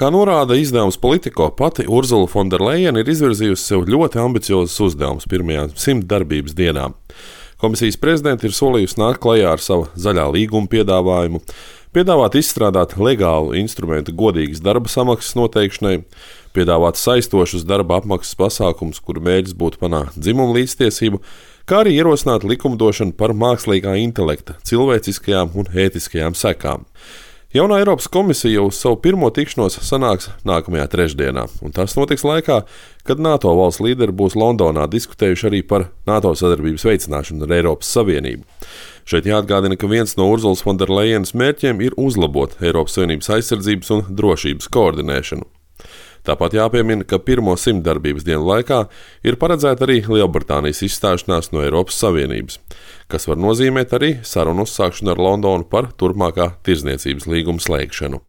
Kā norāda izdevums Politico, pati Urzula Fonderlejena ir izvirzījusi sev ļoti ambiciozus uzdevumus pirmajām 100 darbības dienām. Komisijas prezidente ir solījusi nākt klajā ar savu zaļā līguma piedāvājumu, piedāvāt izstrādāt legālu instrumentu godīgas darba samaksas noteikšanai, piedāvāt saistošus darba apmaksas pasākumus, kuru mērķis būtu panākt dzimumu līdztiesību, kā arī ierosināt likumdošanu par mākslīgā intelekta, cilvēciskajām un ētiskajām sekām. Jaunā Eiropas komisija uz savu pirmo tikšanos sanāks nākamajā trešdienā, un tas notiks laikā, kad NATO valsts līderi būs Londonā diskutējuši arī par NATO sadarbības veicināšanu ar Eiropas Savienību. Šeit jāatgādina, ka viens no Urzulas Fonderlejenas mērķiem ir uzlabot Eiropas Savienības aizsardzības un drošības koordinēšanu. Tāpat jāpiemina, ka pirmo 100 darbības dienu laikā ir paredzēta arī Lielbritānijas izstāšanās no Eiropas Savienības, kas var nozīmēt arī sarunu uzsākšanu ar Londonu par turpmākā tirdzniecības līguma slēgšanu.